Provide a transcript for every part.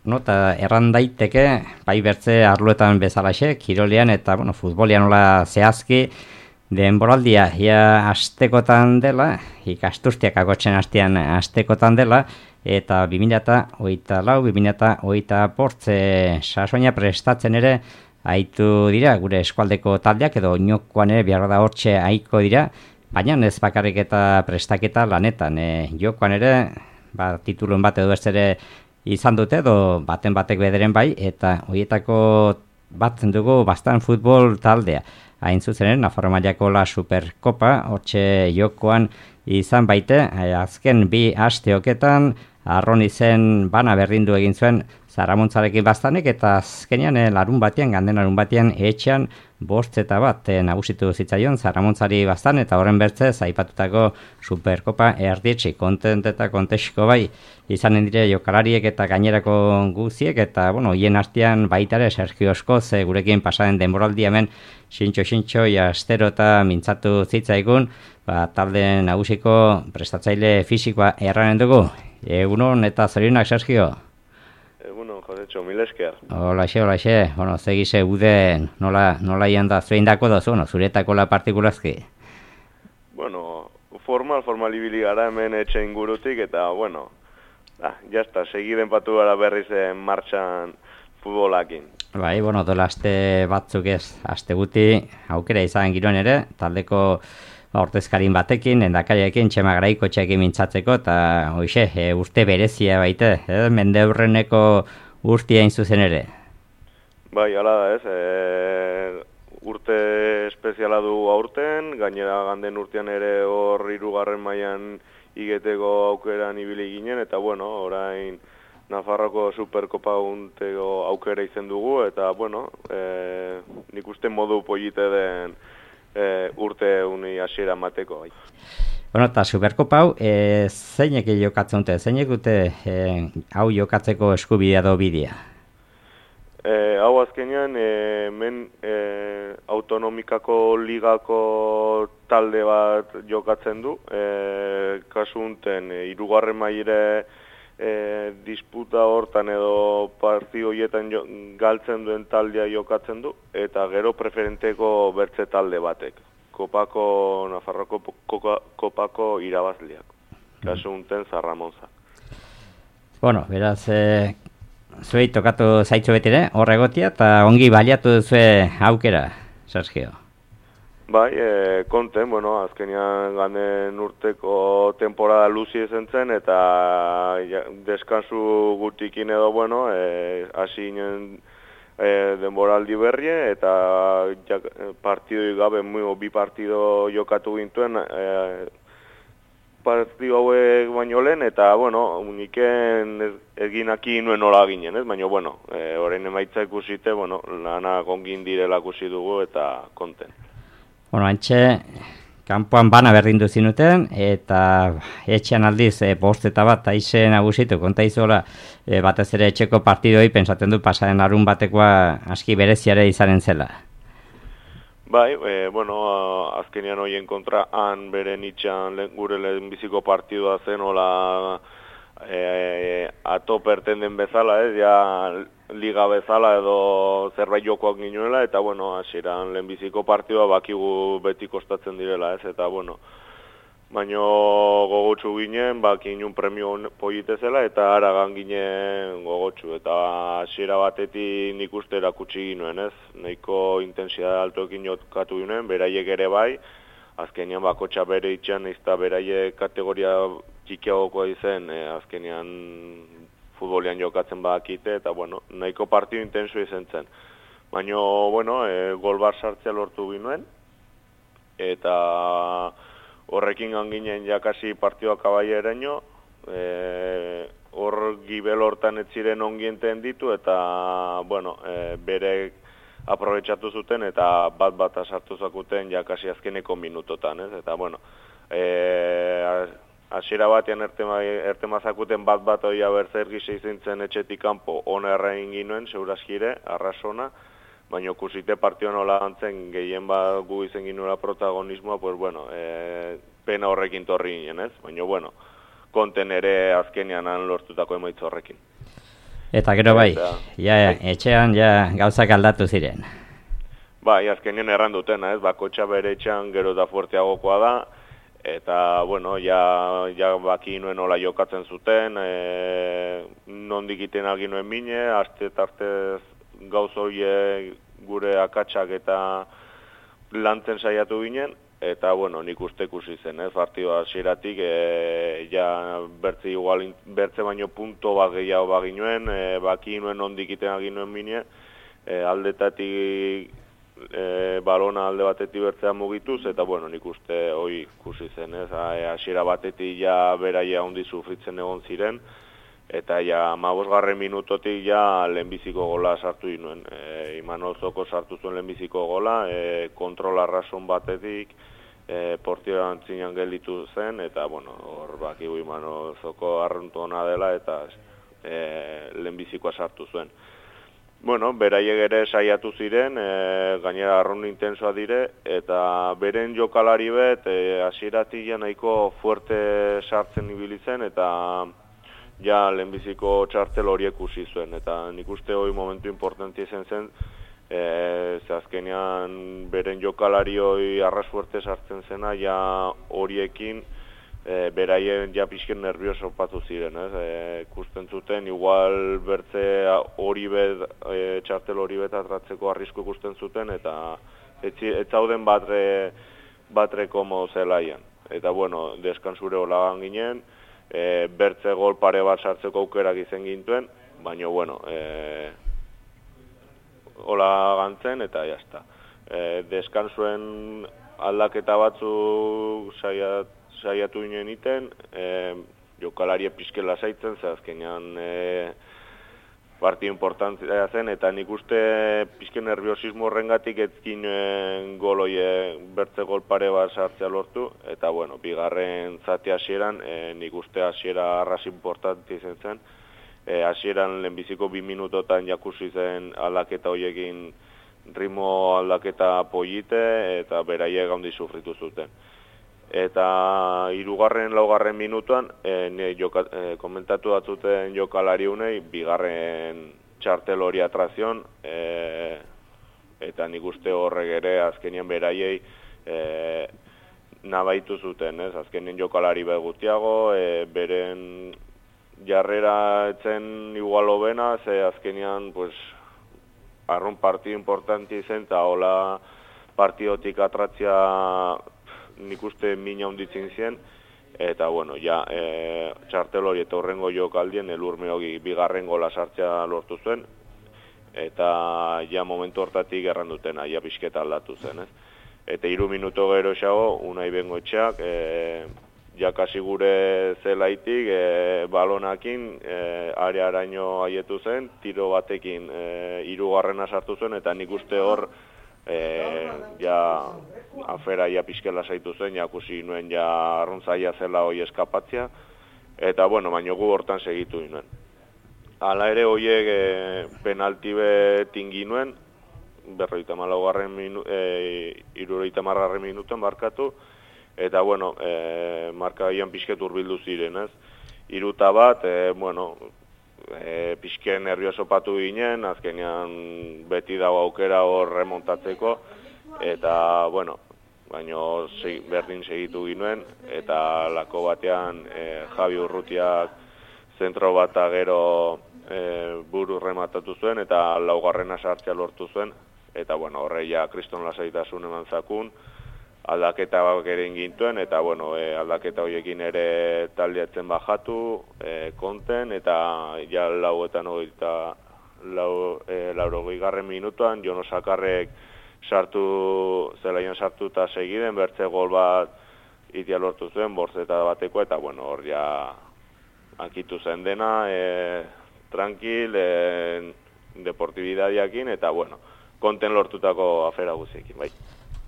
Eta erran daiteke, bai bertze arloetan bezalaxe, kirolean eta futbolian nola zehazki, denboraldia ia astekotan dela, ikasturtiak agotzen hastean astekotan dela, eta 2024-2025 sasoina prestatzen ere aitu dira, gure eskualdeko taldeak edo oinokoan ere behar da hortxe aiko dira, baina ez bakarrik eta prestaketa lanetan. Jokoan ere, titulun bat edo ez ere izan dute, edo baten batek bederen bai, eta horietako batzen dugu bastan futbol taldea. Hain zuzenen, Nafarro mailako la Superkopa, hortxe jokoan izan baite, azken 2 asteoketan, Arron izen bana berdindu egin zuen Zaramontzarekin bastanek, eta azkenean larun batean, ganden larun batean, etxean 5-1 nagusitu zitzaion Zaramontzari bastan, eta horren bertzez, aipatutako Superkopa erditsi, kontent eta kontexko bai, izanen dire jokalariek eta gainerako guziek, eta, hien artean baitare Sergio Oskoz gurekin pasaren denboraldi hemen sintxo, astero eta mintzatu zitzaigun, talde nagusiko prestatzaile fisikoa erranen dugu. Egunon eta zorionak, Sergio? Egunon, Josetxo, mil esker. Olaxe. Zegize uden, nola ian da zueindako dozu, zuretako la partikulazki? Formal ibili gara hemen etxe ingurutik, eta, jazta, segiden patu gara berriz martxan futbolakin. Bai, dola aste batzuk ez, aste guti, aukera izan giroen ere, taldeko ordezkarin batekin, endakariakin, Txema Garaikotxeekin mintzatzeko, eta urte berezia baite, mendeurreneko urtia zuzen ere. Bai, hala da ez, urte espeziala du aurten, gainera ganden urtean ere hor 3. mailan igeteko aukeran ibili ginen, eta orain Nafarroko Superkopa unteko aukera izen dugu, eta nik uste modu polite den urte uni hasiera mateko. Eta Superkopa hau, zeinek jokatzen dute, zeinek dute hau jokatzeko eskubidea edo bidea? Hau azkenean, hemen autonomikako ligako talde bat jokatzen du, kasu unten 3. mailere disputa hortan edo partio horietan galtzen duen taldea jokatzen du, eta gero preferenteko bertze talde batek, Nafarroko kopako irabazleak, kasu unten Zarramonza. Beraz, zuei tokatu zaitzu betire, horregotia, eta ongi baliatu duzue aukera, Sergio. Bai, konten, azkenean ganden urteko temporada luzi ezen zen, eta deskansu gutikin edo, hasi ginen denboraldi berrie, eta partidoi gabe, 2 partido jokatu gintuen, partido hauek baino lehen, eta, uniken eginaki nuen nola ginen, ez? Baina, orain emaitza ikusite, lana gongin direla ikusi dugu, eta konten. Antxe, kanpoan bana berdindu zinuten, eta etxean aldiz 5-1 aize nagusitu, konta izola, batez ere etxeko partidoi, pensatzen du pasaren larun batekoa aski bereziare izanen zela. Bai, azkenean hoien kontra han beren itxan gure lehenbiziko partidua zen, hola ato pertenden bezala, liga bezala edo zerbait jokoak ginuela, eta hasieran lehenbiziko partidua bakigu beti kostatzen direla, eta baino gogotsu ginen, ginun premio polite zela, eta aragan ginen gogotsu, eta hasiera batetik nik uste erakutsi ginuen, nahiko intensidade altoekin jokatu ginen, beraiek ere bai, azkenean bakotxa bere itxan, izta beraiek kategoria txikiagokoa izen, azkenean futbolian jokatzen badakite, eta nahiko partidu intenso izan zen. Baina, gol bat sartzea lortu ginuen, eta horrekin ganginen jakasi partioak abaieraino, hor gibel hortan ez ziren ongienten ditu, eta, berek aprobetxatu zuten, eta bat sartu zakuten jakasi azkeneko minutotan, eta, hasiera batean ertemazakuten bat oia berzer gisa izintzen etxetik kanpo ona errain ginuen, segurazkire, arrasona, baina kusite partio nola gantzen gehien bat gu izen ginuela protagonismoa, pena horrekin torri ginen, baina konten ere azkenean han lortutako emaitza horrekin. Eta gero bai, etxean gauzak aldatu ziren. Bai, azkenean erran dutena, ez, bakotxa bere etxean gero da fuerteagokoa da, eta, bueno, ja baki nuen nola jokatzen zuten, nondik iten aginuen mine, arte gauz horiek gure akatsak eta lantzen saiatu ginen, eta, bueno, nik uste ikusi zen, ez, partidua hasieratik, ja bertze baino punto bat gehiago baginuen, baki nuen nondik iten aginuen mine, aldetatik balona alde batetik bertzea mugituz, eta bueno, nik uste hori ikusi zen, ez, hasiera batetik ja beraia handi sufritzen egon ziren, eta ja 15. minutotik ja lehenbiziko gola sartu inuen. Imanol Zoko sartu zuen lehenbiziko gola, kontrol arrason batetik, portioa antzinean gelditu zen, eta bueno, hor bakigu Imanol Zoko arruntu ona dela, eta lehenbizikoa sartu zuen. Bueno, beraiek ere saiatu ziren, gainera arrun intensoa dire, eta beren jokalari bet, hasieratik ja nahiko fuerte sartzen ibili zen, eta ja lehenbiziko txartel horiek ikusi zuen, eta nik uste hori momentu importantia izan zen, ze azkenean beren jokalari hori arras fuerte sartzen zena, ja horiekin, beraien ja pixken nervioso patu ziren, ikusten zuten, igual bertze hori bet, txartel hori bet atratzeko arrisku ikusten zuten, eta ez zauden batre komo zelaian. Eta bueno, deskansure holagan ginen, bertze gol pare bat sartzeko aukerak izan gintuen, baina bueno, hola gantzen eta jazta. Deskansuen aldaketa batzuk saiatu ginen iten, jokalarie pixken lasaitzen, ze azkenean partidu importantzia zen, eta nik uste pixken nerviosismo horrengatik ezkin goloie bertze gol pare bat sartzea lortu, eta bueno, bigarren zati hasieran, nik uste hasiera arras importantzia izan zen, hasieran lehenbiziko 2 minutotan jakusi zen aldaketa horiekin ritmo aldaketa polite, eta beraiek handi sufritu zuten. Eta 3. 4. minutuan, komentatu batzuten jokalari unei, bigarren txartel hori atrazion, eta nik uste horrek ere azkenien beraiei nabaitu zuten, ez? Azkenien jokalari begutiago, beren jarrera etzen igual hobena, ze azkenian, pues, arrun partidu importanti zen, eta hola partidotik atratzia nik uste mina honditzen zen, eta bueno, ja, txartel hori eta horrengo jokaldien Elurme hogi bigarren gola sartzea lortu zuen, eta ja momentu hortatik errandutena, ja pixketa aldatu zen, ez? Eta 3 minuto gero xago, Unai Bengoetxeak, ja kasi gure zelaitik, balonakin, arearaino haietu zen, tiro batekin 3. sartu zuen, eta nik uste hor, ja afera ja pixkela zaitu zen, ja kusi nuen ja arruntzaia zela hoi eskapatzea, eta bueno, baino gu hortan segitu nuen. Hala ere hoiek penalti bet inginuen, 74. minutuan markatu, eta bueno, markagaian pixket urbildu ziren, ez? 3-1, bueno, pixken nervioso patu ginen, azkenean beti dago aukera hor remontatzeko, eta, bueno, baino berdin segitu ginuen, eta lako batean Javi Urrutiak zentro bat gero buru rematatu zuen, eta 4. sartzea lortu zuen, eta, bueno, horreia kriston lasaitasun eman zakun, aldaketa ere ingintuen, eta bueno, aldaketa horiekin ere taldeatzen bajatu, konten, eta ja 80. minutuan, Jono Sakarrek zelaian sartu eta segiden, bertze gol bat itia lortu zuen, borzeta bateko, eta bueno, hor ja ankitu zen dena, tranquil, deportibidadiakin, eta bueno, konten lortutako afera guziekin, bai.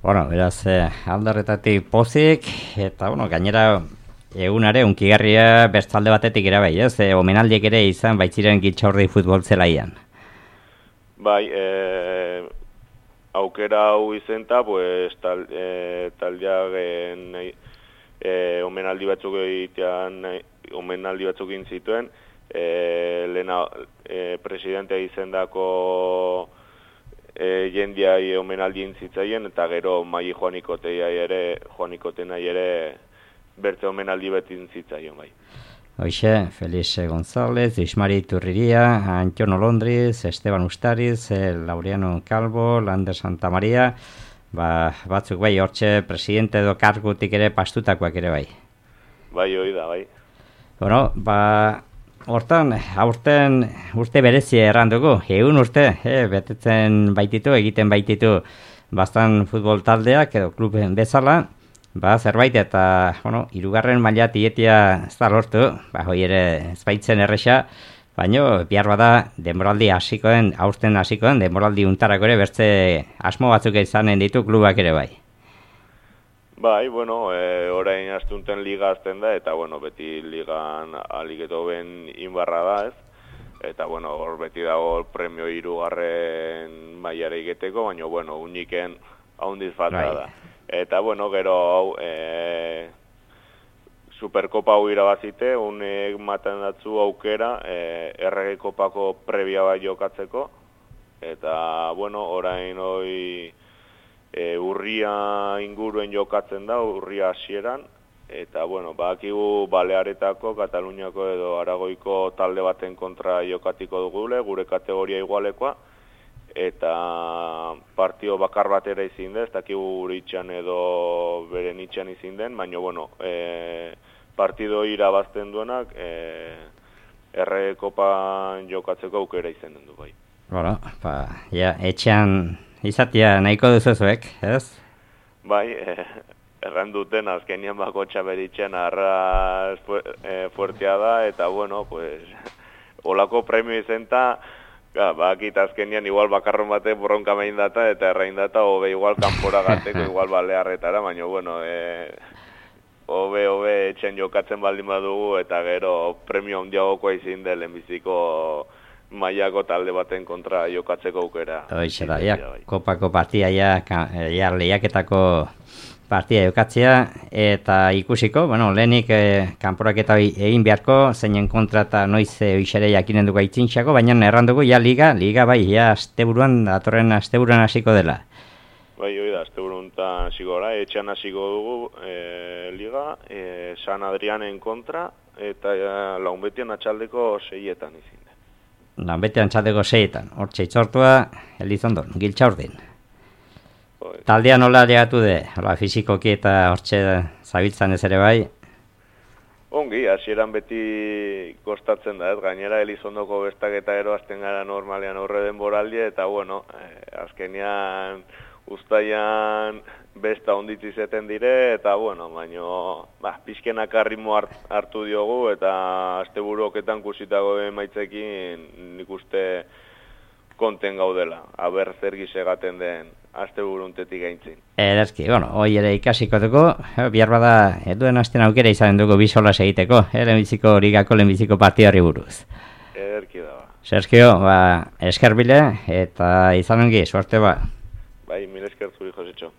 Bueno, beraz, aldarretatik pozik, eta, bueno, gainera egunare unkigarria bestalde batetik ere bai, ez? Omenaldiek ere izan baitziren Gitxaurri futbol zelaian. Bai, aukera hau izenta, pues, taldeak omenaldi batzuk egitean, omenaldi batzuk egin zituen, lehena presidentea izendako jendiai omenaldi intzitzaien, eta gero Mai Joanikotenai ere berte omenaldi beti intzitzaien bai. Hoxe, Felix González, Ismari Turriria, Antonio Londriz, Esteban Ustariz, Laureano Calvo, Lander Santamaria, batzuk bai, hortxe presidente edo kargutik ere pastutakoak ere bai. Bai, hoi da, bai. Bueno, hortan, aurten urte berezi errandugu, egun urte, betetzen baititu, egiten baititu bastan futbol taldeak edo kluben bezala, zerbait eta, hirugarren maila tietia ez da lortu, hoi ere ez baitzen erresa, baina bihar bada denboraldi hasikoen, aurten hasikoen, denboraldi untarako ere bertze asmo batzuk izanen ditu klubak ere bai. Bai, orain astunten liga azten da, eta, beti ligan aliketo ben inbarra da, ez? Eta, hor beti dago premio hirugarren mailara iketeko, baina, uniken haundiz falta da. Eta, gero hau, Superkopa hau irabazite, unek maten datzu aukera, errege kopako prebia bai jokatzeko, eta, orain hoi urria inguruen jokatzen da, urria hasieran, eta, bakigu Balearetako, Kataluniako edo Aragoiko talde baten kontra jokatiko dugule, gure kategoria igualekoa, eta partio bakar batera izin da, ez dakigu gure itxan edo beren itxan izin den, baina, partido irabazten duenak erre kopan jokatzeko aukera izan den du bai. Etxean izatea nahiko duzuzuek, ez? Bai, erran duten azkenian bako txaberitzen arra fuertea da, eta olako premio izenta, bakit azkenian igual bakarron bate borronka main data, eta errain data, hobe igual kanpora gateko, igual Balearretara, baina, hobe etxen jokatzen baldin badugu, eta gero premio handiagokoa izin da lehenbiziko mailako talde baten kontra jokatzeko aukera. Hoixe da, kopako partia, lehiaketako partia jokatzea, eta ikusiko, lehenik kanporaketa egin beharko, zeinen kontra eta noiz oixere jakinen dugu aitzintxako, baina errandugu, liga bai, asteburuan, datorren asteburuan hasiko dela. Bai, hoi da, asteburuntan hasiko gara, etxean hasiko dugu liga, San Adrianen kontra, eta Launbetian atxaldeko 6etan izin da. Launbetian atxaldeko 6etan, hortxe itzortua, Elizondon, Giltxaurdin. Taldea nola llegatu de, fizikoki eta hortxe zabiltzan ez ere bai? Ongi, hasieran beti kostatzen da, ez? Gainera Elizondoko bestak eta gero azten gara normalean horre denboraldia, eta azkenean uztaian besta onditzi zeten dire, eta baina pizkenak arritmo hartu diogu, eta asteburuoketan kusitago emaitzekin nik uste konten gaudela, aber zer gisegaten den asteburuntetik gaintzin. Ederki, hoi ere ikasiko dugu, bihar bada eduen asten aukera izanen dugu bisolas egiteko, lehenbiziko ligako lehenbiziko partiari buruz. Ederki da. Sergio, esker bile, eta izan ongi, suerte ba. Bai, mil esker zuri, Josetxo.